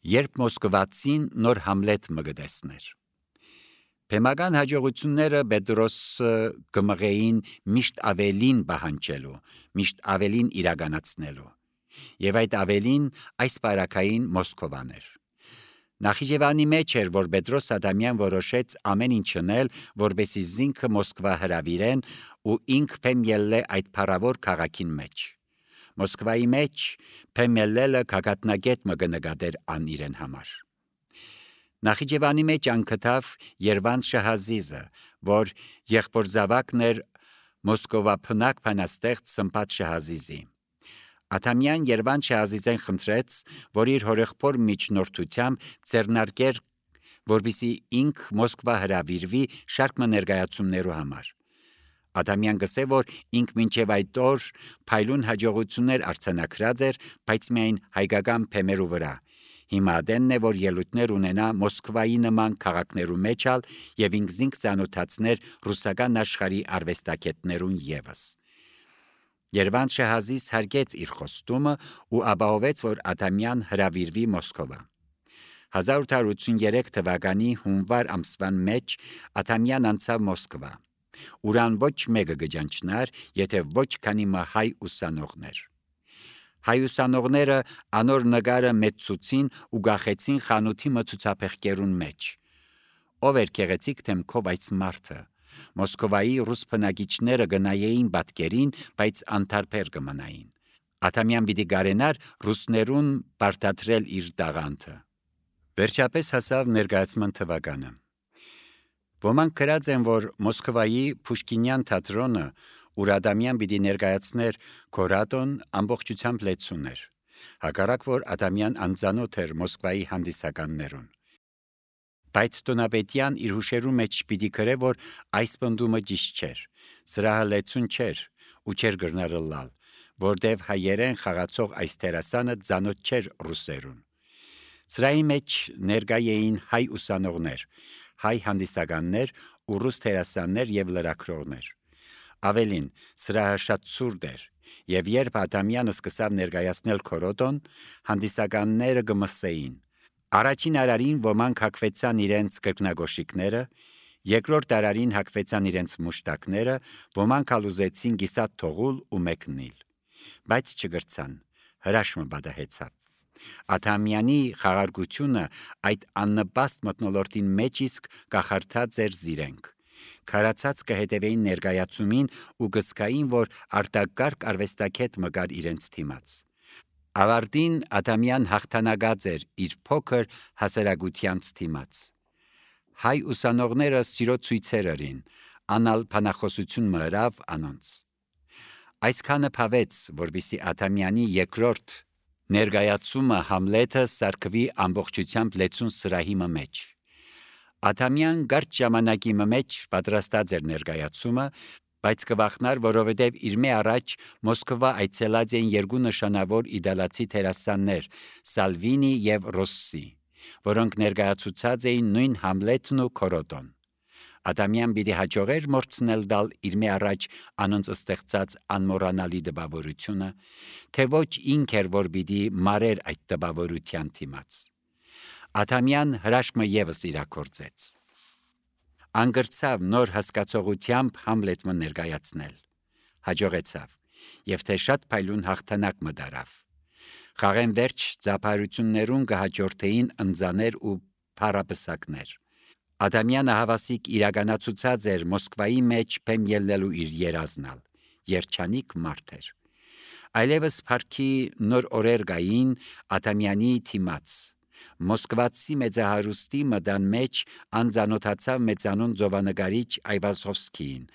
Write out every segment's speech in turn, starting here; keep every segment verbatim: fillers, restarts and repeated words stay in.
երբ մոսկվացին նոր Համլետ մը գտեսներ։ Բեմական հաջողությունները Պետրոսը կմղեին միշտ ավելին պահանջելու, միշտ ավելին իրականացնելու, եւ այդ ավելին այս բարակային Մոսկովան էր։ Նախիջևանի մեջ էր, որ Պետրոս Ադամյան որոշեց ամեն ինչ անել, որպեսզի զինքը Մոսկվա հրավիրեն ու ինքը փեմ ելլե այդ փառավոր քաղաքին մեջ։ Մոսկվայի մեջ փեմ ելլելը քաղաքնագետ մը կնկատեր ան իրեն համար։ Նախիջևանի մեջ անկթավ Երվանդ Շահազիզը, որ եղբոր զավակն էր Մոսկովա փնակ փանաստեղծ Սմբատ Շահազիզի։ Ադամյան Երվանդ Շահազիզեն խնդրեց, որ իր հորեղբոր միջնորդությամբ ձեռնարկեր, որպեսզի ինքը Մոսկվա հրավիրվի շարք ներկայացումներու համար։ Ադամյան գսե, որ ինքը մինչև այդ օր փայլուն հաջողություններ արձանագրած էր, բայց միայն հայկական փեմերու վրա։ Հիմա դենն է, որ ելույթներ ունենա Մոսկվայի նման քաղաքներու մեջ ալ եւ ինքզինք ցանոթացներ ռուսական աշխարհի արվեստագետներուն եւս։ Երվանդ Շահազիզ հարգեց իր խոստումը ու ապահովեց, որ Ադամյան հրավիրվի Մոսկովա։ հազար ութ հարյուր ութսուններեք թվականի հունվար ամսվան մեջ Ադամյան անցավ Մոսկվա, ուրան ոչ մեկը գճանչնար, եթե ոչ քանի մը հայ ուսանողներ։ Հայ ուսանողները անոր նկարը մեծուցին ու գախեցին խանութի մը ցուցափեղկերուն մեջ։ Ով էր գեղեցիկ թեմքով այս մարդը։ Մոսկովայի ռուս բնակիչները գնայեին պատկերին, բայց անտարբեր կմնային։ Ադամյան պիտի գարենար ռուսներուն բարդատրել իր տաղանդը։ Վերջապես հասավ ներկայացման թվականը։ Ոմանք գրած են, որ Մոսկվայի Պուշկինյան թատրոնը, ուր Ադամյան պիտի ներկայացներ Քորատոն, ամբողջությամբ լեցուն էր։ Հակառակ որ Ադամյան անծանոթ էր Մոսկվայի հանդիսականներուն։ Բայց Տոնապետյան իր հուշերու մեջ պիտի գրե, որ այս պնդումը ճիշտ չէր, սրահը լեցուն չէր ու չէր գրնարը լալ, որտեվ հայերեն խաղացող այս տերասանը ծանոթ չէր ռուսերուն։ Սրահի մեջ ներկա էին հայ ուսանողներ, հայ հանդիսականներ ու ռուս տերասաններ եւ լրագրողներ։ Ավելին, սրահը շատ սուրդ էր, եւ երբ Ադամյանը սկսավ ներկայացնել Քորոտոն, հանդիսականները գմսեին։ Առաջին արարին ոմանք հակվեցան իրենց կրկնագոշիկները, երկրորդ արարին հակվեցան իրենց մուշտակները, ոմանք ալուզեցին գիսատ թողուլ ու մեկնիլ, բայց չգրցան, հրաշմը բադահեցավ։ Ադամյանի խաղարկությունը այդ աննպաստ մթնոլորտին մեջ իսկ կախարդած էր զիրենք։ Քարացած կհետևեին ներկայացումին ու գսկային, որ արտակարգ արվեստագետ մգար իրենց թիմաց։ Ավարտին Ադամյան հաղթանակած էր իր փոքր հասարակությանց թիմաց։ Հայ ուսանողները սիրո ցույցեր արին, անալ փանախոսություն մըրավ անոնց։ Այսքանը փավեց, որբիսի Ադամյանի երկրորդ ներկայացումը Համլետը սարքվի ամբողջությամբ լեցուն սրահի մեջ։ Ադամյան կարճ ժամանակի մեջ պատրաստած էր ներկայացումը, բայց կվախնար, որովհետև իր մե առաջ Մոսկվա այցելած են երկու նշանավոր իդալացի տերասաններ՝ Սալվինի եւ Ռոսսի, որոնք ներկայացուցած էին նույն Համլետն ու Քորոտոն։ Ադամյան պիտի հաջողեր մորցնել դալ իր մե առաջ անոնց ստեղծած անմոռանալի տպավորությունը, թե ոչ ինք էր, որ պիտի մարեր այդ տպավորության թիմաց։ Ադամյան հրաշքը եւս իրակորձեց։ Անգրծավ նոր հասկացողությամբ Համլետը ներկայացնել։ Հաջողեցավ, եւ թե շատ փայլուն հաղթանակ մը դարավ։ Խաղեն վերջ ծափարություններուն կհաջորդեին ընձաներ ու փառապսակներ։ Ադամյանը հավասիկ իրականացուցած էր Մոսկվայի մեջ փեմ ելնելու իր երազնալ, երջանիկ մարդ էր։ Այլևս փառքի նոր օրեր գային Ադամյանի թիմաց։ Մոսկվացի մեծահարուստի մդան մեջ անձանոթացավ մեծանուն ծովանկարիչ Այվազովսկիին,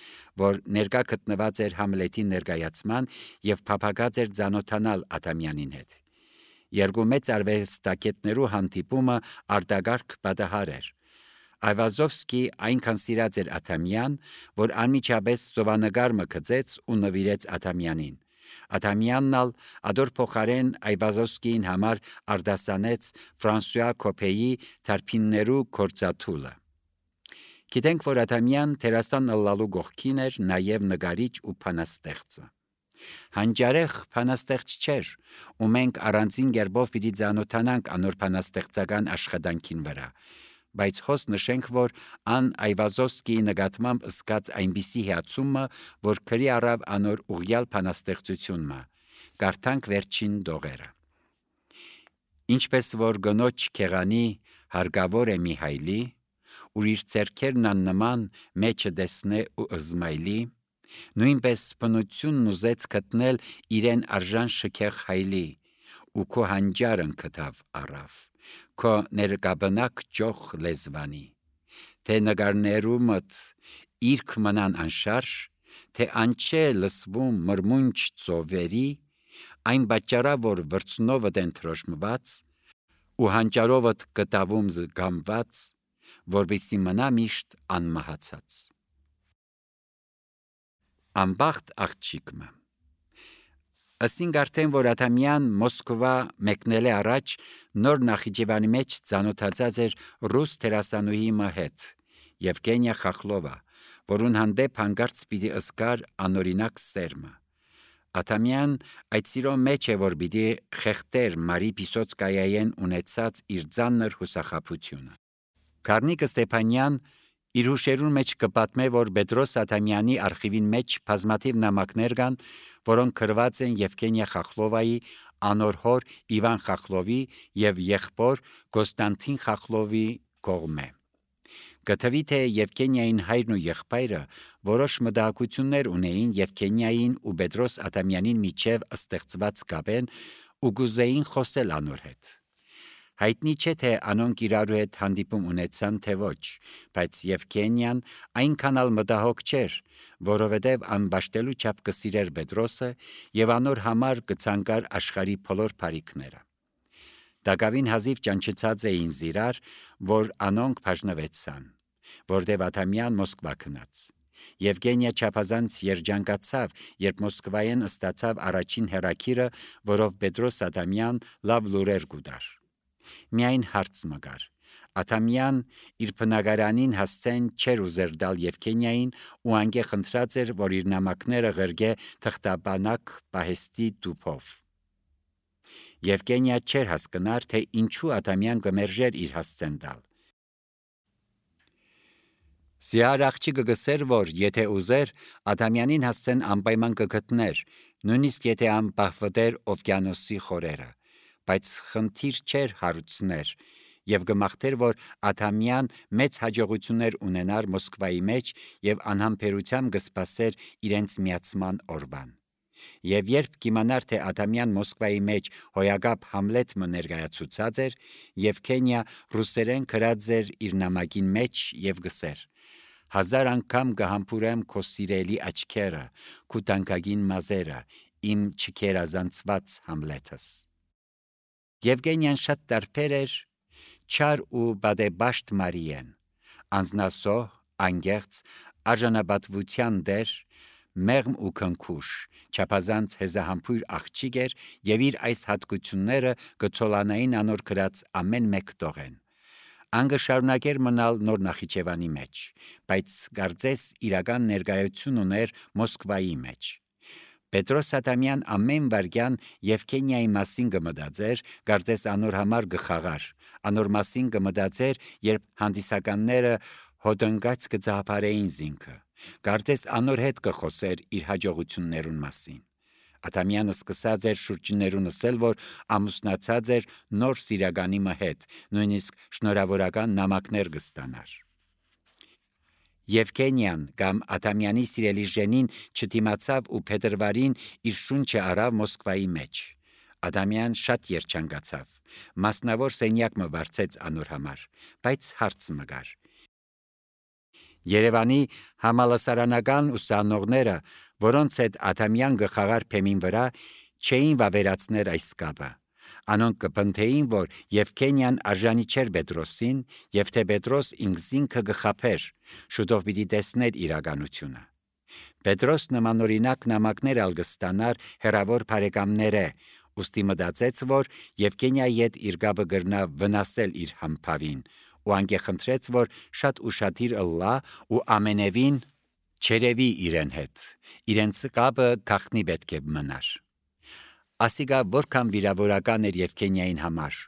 որ ներկա գտնված էր Համլետի ներկայացման եւ փափագած էր ծանոթանալ Ադամյանին հետ։ Երկու մեծ արվեստագետներու հանդիպումը արտագարք պատահար էր։ Այվազովսկի այնքան սիրած էր Ադամյան, որ անմիջապես ծովանկար մը գծեց ու նվիրեց Ադամյանին։ Ադամյանն ալ ադոր փոխարեն Այվազովսկիին համար արդասանեց Ֆրանսուଆ Կոպեի թարփիններու կորցաթուլը։ Գիտենք, որ Ադամյան տերասան ըլլալու գողքին էր նաև նկարիչ ու փանաստեղծը։ Հանջարեղ փանաստեղծ չէր, ու մենք առանձին գերբով պիտի ծանոթանանք անոր փանաստեղծական աշխատանքին վրա, բայց հոս նշենք, որ ան Այվազովսկիի նկատմամբ ըսկած այնպիսի հիացումը, որ քրի առավ անոր ուղյալ փանաստեղծությունը, կարդանք վերջին դողերը. Ինչպես որ գնոջ քեղանի հարգավոր է Միհայլի, ուր իր ձեռքերն աննման մեջը դեսնե ու ըզմայլի, նույնպես բնությունն ուզեց գտնել իրեն արժան շքեղ հայլի, ու քո հանջարն կտավ առավ, քո ներկաբնակ ճոխ լեզվանի, թե նգարներումդ իրք մնան անշարժ, թե անչե լսվում մրմունջ ծովերի, այն բաճարա, որ վրցնովդ են թրոշմված, ու հանճարովդ կտավում զգամված, որբիսի մնա միշտ անմահացած։ Անբախտ աղջիկը Ասինք արդեն, որ Ադամյան Մոսկվա մեկնել է առաջ, նոր Նախիջևանի մեջ ծանոթացած էր ռուս դերասանուհի հետ, Եվգենիա Խախլովա, որուն հանդեպ հանկարծ պիտի ըսկար անօրինակ սերմը։ Ադամյան այդ սիրո մեջ է, որ պիտի խեղտեր Մարի Պիսոցկայայեն ունեցած իր ծանր հուսախաբությունը։ Կարնիկը Ստեփանյան իր հուշերուն մեջ կպատմե, որ Պետրոս Ադամյանի արխիվին մեջ բազմաթիվ նամակներ կան, որոնք գրված են Եվգենիա Խախլովայի, անոր հոր Իվան Խախլովի եւ եղբոր Կոստանտին Խախլովի կողմէ։ Գտվի թե Եվգենիային հայրն ու եղբայրը որոշ մտահոգություններ ունեին Եվգենիային ու Պետրոս Ադամյանին միջև ստեղծված կապեն ու գուզեին խոսել անոր հետ։ Հայտնի չէ թե անոնք իրարու հետ հանդիպում ունեցան թե ոչ, բայց Եվգենիան այնքան ալ մտահոգ չէր, որովհետև անբաշտելու չափ կսիրեր Պետրոսը եւ անոր համար կցանկար աշխարհի բոլոր բարիքները։ Դակավին հազիվ ճանչեցած էին զիրար, որ անոնք բաժնվեցան, որտև Ադամյան Մոսկվա գնաց։ Եվգենիա չափազանց երջանկացավ, երբ Մոսկվայեն ստացավ առաջին հերակիրը, որով Պետրոս Ադամյան լավ լուրեր գուտար։ Միայն հարց մգար։ Ադամյան իր բնակարանին հասցեն չեր ուզեր դալ Եվգենիային ու անգե խնդրած էր, որ իր նամակները ղրգե թղթաբանակ պահեստի տուփով։ Եվգենիա չէր հասկնար, թե ինչու Ադամյան կմերժեր իր հասցեն դալ։ Զիար աղջիկը գսեր, որ եթե ուզեր, Ադամյանին հասցեն անպայման կգտներ, նույնիսկ եթե անպահվդեր օվկիանոսի խորերը, բայց խնդիր չէր հարուցներ, եւ գմախտեր, որ Ադամյան մեծ հաջողություններ ունենար Մոսկվայի մեջ եւ անհամբերությամբ կսպասեր իրենց միացման օրվան։ Եվ երբ կիմանար, թե Ադամյան Մոսկվայի մեջ հոյակապ Համլետ մը ներկայացուցած էր, Եվգենիա ռուսերեն գրած էր իր նամակին մեջ եւ գսեր. Հազար անգամ կհամբուրեմ քո սիրելի աչքերը, քո տանկագին մազերը, իմ չքերազանցված Համլետս։ Եվգենիան շատ տարբեր էր, չար ու բադեբաշտ Մարիեն, անznասոհ, անգեղծ, արժանապատվության դեր, մեղմ ու քնքուշ, չափազանց հեզահամբույր աղջիկ էր եւ իր այս հատկությունները կցոլանային անոր գրած ամեն մեկ տողեն։ Անգը շարունակեր մնալ նոր Նախիջևանի մեջ, բայց կարծես իրական ներկայություն ուներ Մոսկվայի մեջ։ Պետրոս Ադամյան ամեն վարքյան Եվգենիայի մասին կմտածեր, կարծես անոր համար գխաղար, անոր մասին կմտածեր, երբ հանդիսականները հոտնկած կծահապարեին զինքը, կարծես անոր հետ կխոսեր իր հաջողություններուն մասին։ Ադամյանը սկսած էր շուրջներուն ասել, որ ամուսնացած էր նոր սիրականի հետ, նույնիսկ շնորհավորական նամակներ կստանար։ Եվգենիան կամ Ադամյանի սիրելի ժենին չդիմացավ ու փետրվարին իր շունչը առավ Մոսկվայի մեջ։ Ադամյան շատ երջանկացավ, մասնավոր սենյակ մը վարձեց անոր համար, բայց հարց մգար։ Երևանի համալսարանական ուսանողները, որոնց հետ Ադամյան գխաղար փեմին վրա, չէին վավերացներ այս կապը։ Անոնք կպնդեին, որ Եվգենիան արժանի չէր Պետրոսին, եւ թե Պետրոս ինքզինքը գխափեր, շուտով պիտի տեսներ իրականությունը։ Պետրոս նմանօրինակ նամակներ ալ կստանար հերավոր բարեկամները, ուստի մտածեց, որ Եվգենիայի հետ իր կապը կրնա վնասել իր համբավին, ու անգե խնդրեց, որ շատ ուշադիր ըլլա ու ամենևին չերևի իրեն հետ, իրենց կապը գախնի պետք է մնար։ Ասիգա որքան վիրավորական էր Եվգենիային համար,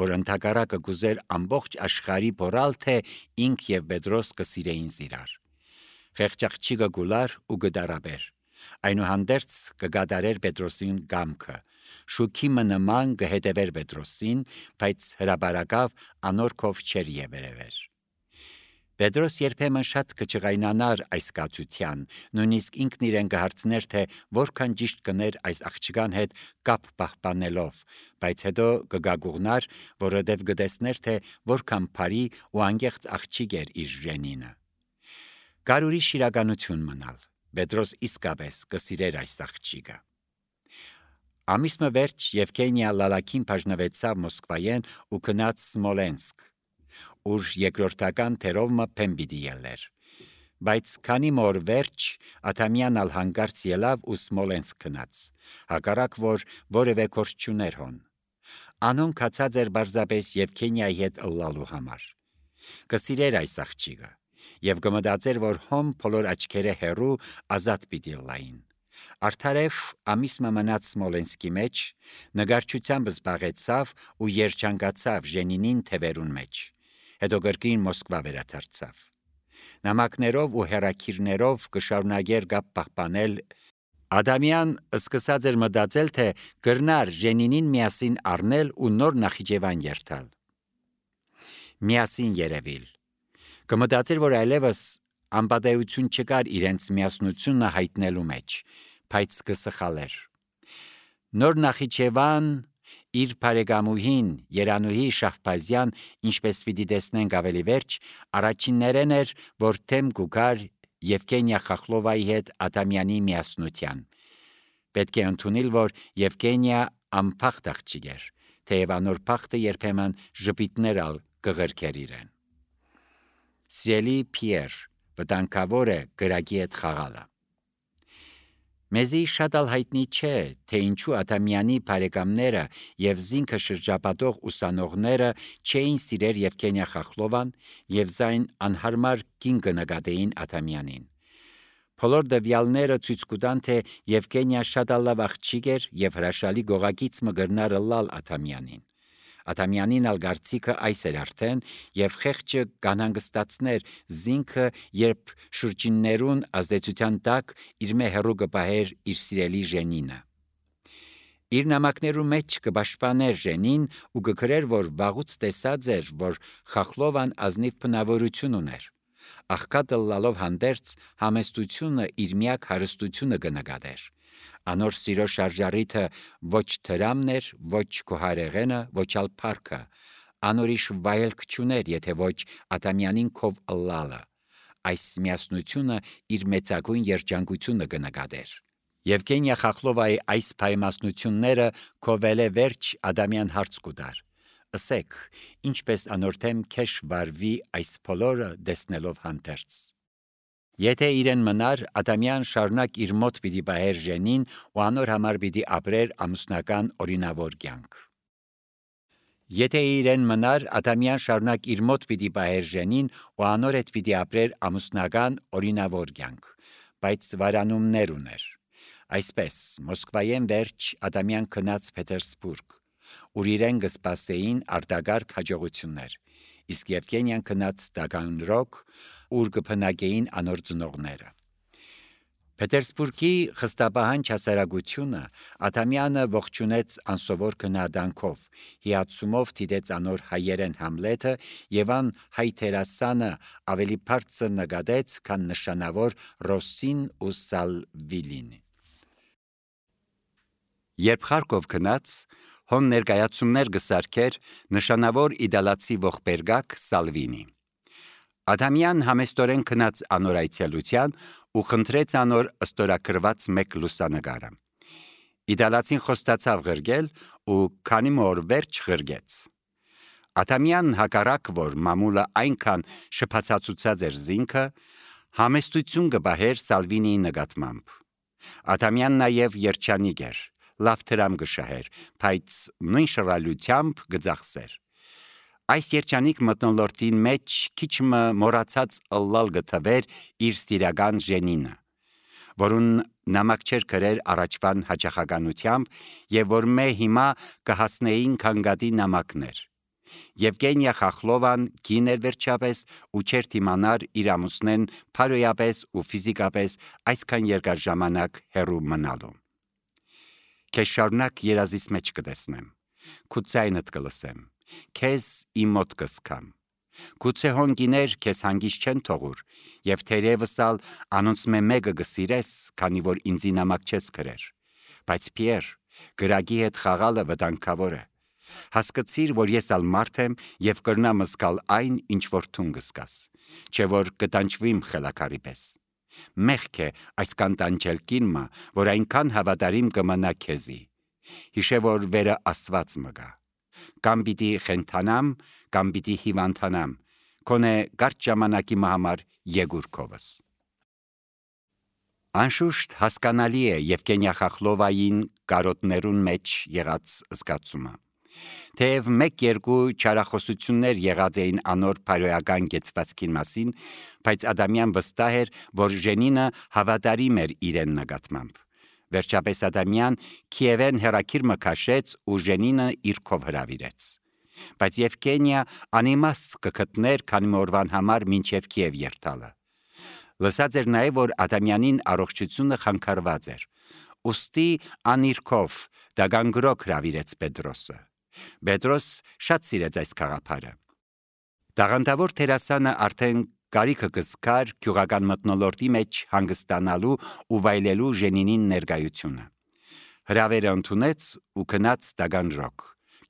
որ ընդհակառակը գուզեր ամբողջ աշխարհի բորալ թե ինք եւ Պետրոս կսիրեին իրար։ Խեղճաղջիկը գուլար ու գդարաբեր, այնուհանդերձ կգադարեր Պետրոսին գամքը, շուքի մնման կհետևեր Պետրոսին, բայց հրաբարակավ անորքով չեր եվերևեր։ Պետրոս երբեմն շատ կճղայնանար այս կացության, նույնիսկ ինքն իրեն կհարցներ, թե որքան ճիշտ կներ այս աղջկան հետ կապ պահպանելով, բայց հետո կգագուղնար, որովհետև կտեսներ, թե որքան բարի ու անկեղծ աղջիկ էր իր ժենինը։ Կար ուրիշ իրականություն մնալ, Պետրոս իսկապես կսիրեր այս աղջիկը։ Ամիսը վերջ Եվգենիա լալակին բաժնվեցավ Մոսկվայեն ու գնաց Սմոլենսկ, ուր երկրորդական թերովը փեմ պիտի ելներ, բայց քանի մոր վերջ Աթամյանն ալ հանկարծ ելավ ու Սմոլենսկ գնաց, հակառակ որ որևէ գործ չուներ հոն։ Անոն կացած էր բարձապես Եվգենիայի հետ ըլլալու համար։ Կսիրեր այս աղջիկը եւ կմտածեր, որ հոմ բոլոր աչքերը հեռու ազատ պիտի լային։ Արդարև ամիսը մնաց Սմոլենսկի մեջ, նգարչությամբ զբաղեցավ ու երջանկացավ ժենինին թևերուն մեջ, հետո գրկին Մոսկվա վերադարձավ։ Նամակներով ու հեռաքիրներով կշարունակեր կապ պահպանել։ Ադամյան սկսած էր մտածել, թե կրնար ժենինին միասին առնել ու նոր Նախիջևան երթալ։ Միասին երևիլ։ Կմտածեր, որ այլևս անպատեություն չկար իրենց միասնությունը հայտնելու մեջ, բայց կսխալեր։ Նոր Նախիջևան իր բարեկամուհին Երանուհի Շահբազյան, ինչպես պիտի տեսնենք ավելի վերջ, առաջիններն էր, որ թեմ կուքար Եվգենիա Խախլովայի հետ Ադամյանի միասնության։ Պետք է ընդունել, որ Եվգենիա անփախտ աղջիկ էր, թեև անոր փախտը երբեմն ժպիտներ ալ կղրկեր իրեն։ Սիրելի Փիեր, վտանգավոր է գրագի հետ խաղալը։ Մեզի շատ ալ հայտնի չէ, թե ինչու Ադամյանի բարեկամները եւ զինքը շրջապատող ուսանողները չէին սիրեր Եվգենիա Խախլովան եւ զայն անհարմար կին կնկատեին Ադամյանին։ Բոլոր դվյալները ցույց կտան, թե Եվգենիա շատ ալ լավ աղջիկ էր եւ հրաշալի գողագից մգրնար լալ Ադամյանին։ Ադամյանին ալ գարցիկը այս էր արդեն եւ խեղճը կանհանգստացներ զինքը, երբ շուրջիններուն ազդեցության տակ իր մե հերու կպահեր իր սիրելի ժենինը։ Իր նամակներու մեջ կպաշտպաներ ժենին ու կգրեր, որ վաղուց տեսած էր, որ Խախլովան ազնիվ բնավորություն ուներ։ Աղքատը լալով հանդերձ համեստությունը իր միակ հարստությունը կնկատեր։ Անոր սիրո շարժարիթը ոչ թրամն էր, ոչ քոհարեղենը, ոչ ալ փառքը, անորիշ վայելք չուներ, եթե ոչ Ադամյանին քով ըլլալը, այս միասնությունը իր մեծագույն երջանկությունը կնկատեր։ Եվգենիա Խախլովայի այս պայմասնությունները քովելե վերջ Ադամյան հարց կուտար. Ասեք, ինչպես անորթեմ քեշ վարվի այս բոլորը դեսնելով հանդերձ։ Եթե իրեն մնար, Ադամյան շարունակ իր մոտ պիտի բահեր ժենին ու անոր համար պիտի ապրեր ամուսնական օրինավոր կյանք։ Եթե իրեն մնար, Ադամյան շարունակ իր մոտ պիտի բահեր ժենին ու անոր հետ պիտի ապրեր ամուսնական օրինավոր կյանք, բայց վարանումներ ուներ։ Այսպես, Մոսկվայեն վերջ Ադամյան գնաց Պետերսբուրգ, ուր իրեն կսպասեին արտագարգ հաջողություններ, իսկ Եվգենիան գնաց Տագանրոգ, ուր կփնակեին անոր ծնողները։ Պետերսբուրգի խստաբահանջ հասարակությունը Ադամյանը ողջունեց անսովոր քննադանքով, հիացումով դիտեց անոր հայերեն Համլետը եւ ան հայ տերասանը ավելի բարձր նկատեց, քան նշանավոր Ռոսին ու Սալվիլին։ Երբ Խարկով գնաց, հոն ներկայացումներ գսարքեր նշանավոր իդալացի ողբերգակ Սալվինի։ Ադամյան համեստորեն գնաց անոր այցելության ու խնդրեց անոր ըստորակրված մեկ լուսանկարը։ Իդալացին խոստացավ ղրգել ու քանի մոր վերջ ղրգեց։ Ադամյանն հակառակ, որ մամուլը այնքան շփացածուցած էր զինքը, համեստություն կբահեր Սալվինիի նկատմամբ։ Ադամյանն նաև երջանիկ էր, լավ դրամ կշահեր, բայց նույն շռայլությամբ կձախսեր։ Այս երջանիկ մթնոլորտին մեջ քիչ մը մոռացած ըլլալ գտվեր իր սիրական Ժենինը, որուն նամակ չեր գրեր առաջվան հաճախականությամբ եւ որ մե հիմա կհասնեին քանգադի նամակներ։ Եվգենիա Խախլովան կին էր վերջապես ու չեր թիմանար իր ամուսնեն փարոյապես ու ֆիզիկապես այսքան երկար ժամանակ հեռու մնալու։ Քեզ շարունակ երազիս մեջ կտեսնեմ, քու ձայնդ կլսեմ, քեզ իմ մոտ կսկամ։ Գուցե հոնգիներ քեզ հանգիստ չեն թողուր, եւ թերևս ալ անոնց մե մեկը գսիրես, քանի որ ինձի նամակ չես գրեր։ Բայց Պիեր, գրագի հետ խաղալը վտանգավոր է։ Հասկացիր, որ ես ալ մարդ եմ եւ կրնամ զգալ այն, ինչ որ թուն կսկաս, չէ որ կտանջվիմ խելակարի պես։ Մեղք է այս կանտանջել կինմա, որ այնքան հավատարիմ կմնա քեզի։ Հիշե, որ վերը Աստված մը գա։ Կամ պիտի խենթանամ, կամ պիտի հիվանդանամ, քոնե կարճ ժամանակի համար եգուր քովս։ Անշուշտ հասկանալի է Եվգենիա Խախլովային կարոտներուն մեջ եղած զգացումը։ Թեև մեկ-երկու չարախոսություններ եղած էին անոր փարոյական գեցվածքին մասին, բայց Ադամյան վստահ էր, որ Ժենինը հավատարիմ էր իրեն նկատմամբ։ Վերջապես Ադամյան Քիևեն հերակիր մը քաշեց ու Ժենինը իր քով հրավիրեց։ Բայց Եվգենիա անիմաստ կգտներ, քանի օրվան համար մինչև Քիև երթալը։ Լսած էր նաև, որ Ադամյանին առողջությունը խանգարված էր։ Ուստի անիրքով դագանգրոք հրավիրեց Պետրոսը։ Պետրոս շատ սիրեց այս քաղաքը։ Տաղանդավոր թերասանը արդեն կարիքը կզկար գյուղական մթնոլորտի մեջ հանգստանալու ու վայելելու Ժենինին ներկայությունը։ Հրավերը ընդունեց ու գնաց Տագանրոկ,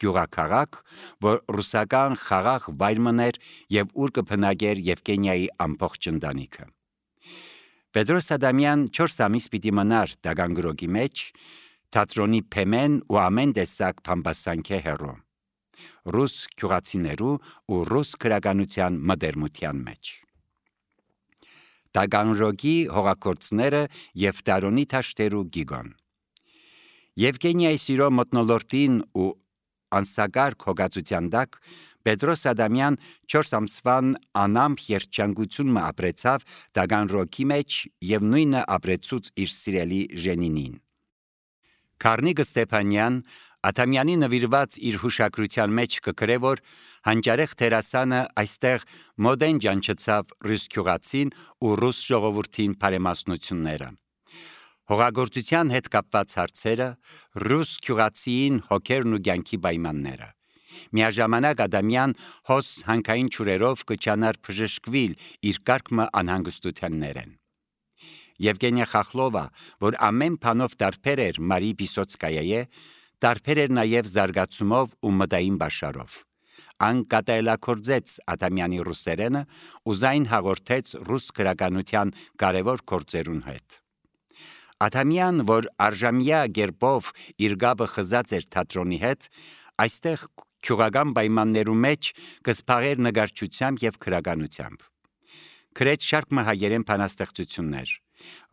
գյուղաքաղաք, որ ռուսական խաղաղ վայր մներ եւ ուր կփնագեր Եվգենիայի ամբողջ ընտանիքը։ Պետրոս Ադամյան չորս ամիս պիտի մնար Տագանրոկի մեջ, թատրոնի փեմեն ու ամեն տեսակ փամբասանքե հեռու, ռուս գյուղացիներու ու ռուս քրագանության մդերմության մեջ։ Տագանրոկի հողագործները եւ Տարոնի թաշտերու գիգոն։ Եվգենիայի սիրո մթնոլորտին ու անսագարկ հոգացության տակ Պետրոս Ադամյան չորս ամսվան անամփ երջանկություն մը ապրեցավ Տագանրոկի մեջ եւ նույնը ապրեցուց իր սիրելի Ժենինին։ Քարնիկը Ստեփանյան Ադամյանի նվիրված իր հուշագրության մեջ կգրե, որ հանճարեղ թերասանը այստեղ մոդեն ջանչեցավ ռուս գյուղացին ու ռուս ժողովրդին բարեմասնությունները։ Հողագործության հետ կապված հարցերը, ռուս գյուղացիին հոգերն ու կյանքի պայմանները։ Միաժամանակ Ադամյան հոս հանքային ճուրերով կճանար բժշկվիլ իր կարգմը անհանգստությաններեն։ Եվգենիա Խախլովա, որ ամեն բանով տարբեր էր Մարի Պիսոցկայայե, տարբեր էր նաև զարգացումով ու մտային բաշարով։ Ան կատարելագործեց Ադամյանի ռուսերենը ու զայն հաղորդեց ռուս քրագանության կարևոր գործերուն հետ։ Ադամյան, որ արժամյա գերբով իր գաբը խզած էր թատրոնի հետ, այստեղ գյուղական պայմաններու մեջ կսփաղեր նկարչությամբ եւ քրագանությամբ։ Գրեց շարք մը հայերեն բանաստեղծություններ,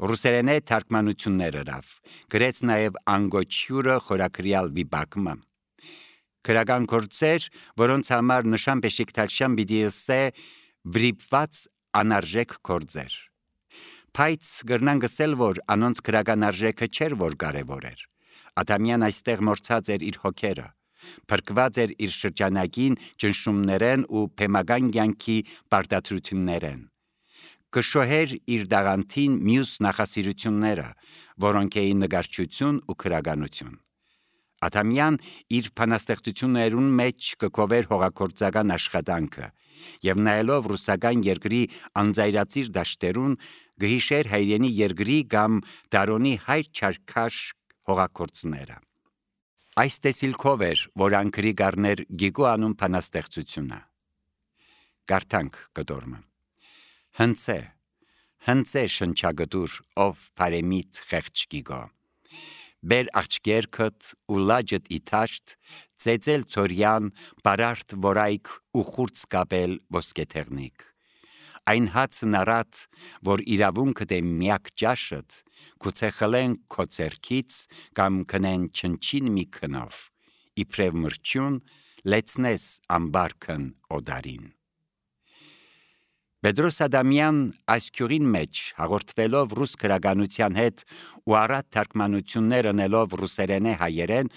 ռուսերենե թարգմանություններ հրավ, գրեց նաև անգոչյուրը խորակրյալ վիպակմը։ Քրագան գործեր, որոնց համար նշան բեշիկտալշան պիտի ըսե վրիպված անարժեք գործեր։ Բայց գրնան գսել, որ անոնց քրագան արժեքը չէր, որ կարևոր էր։ Ադամյան այստեղ մորցած էր իր հոգերը, փրկված էր իր շրջանագին ճնշումներեն ու փեմական կյանքի պարտադրություններեն։ Կշոհեր իր դաղանթին մյուս նախասիրությունները, որոնք էին նկարչություն ու քրագանություն։ Ադամյան իր բանաստեղծություններուն մեջ կկովեր հողագործական աշխատանքը եւ նայելով ռուսական երկրի անձայրացիր դաշտերուն գհիշեր հայրենի երկրի կամ Տարոնի հայր չարքաշ հողագործները։ Այս տեսիլքով էր, որ անկրի գարներ գիգու անուն բանաստեղծությունը։ Գարտանք կդորմը։ Հնցե, հնցե շնչագդուր, ով բարեմիտ խեղճ գիգո։ Բեր աղջկերքդ ու լաջդ իտաշտ, ծեծել ծորյան, բարարդ որայք ու խուրց կապել ոսկեթեղնիկ։ Այն հացն առատ, որ իրավունքդ է միակ ճաշըդ, գուցե խլեն քո ձեռքից կամ քնեն չնչին մի քնով, իբրև մրջյուն, լեցնես ամբարքն օդարին։ Պետրոս Ադամյան այս քյուրին մեջ հաղորդվելով ռուս գրականության հետ ու առատ թարգմանություններ անելով ռուսերենե հայերեն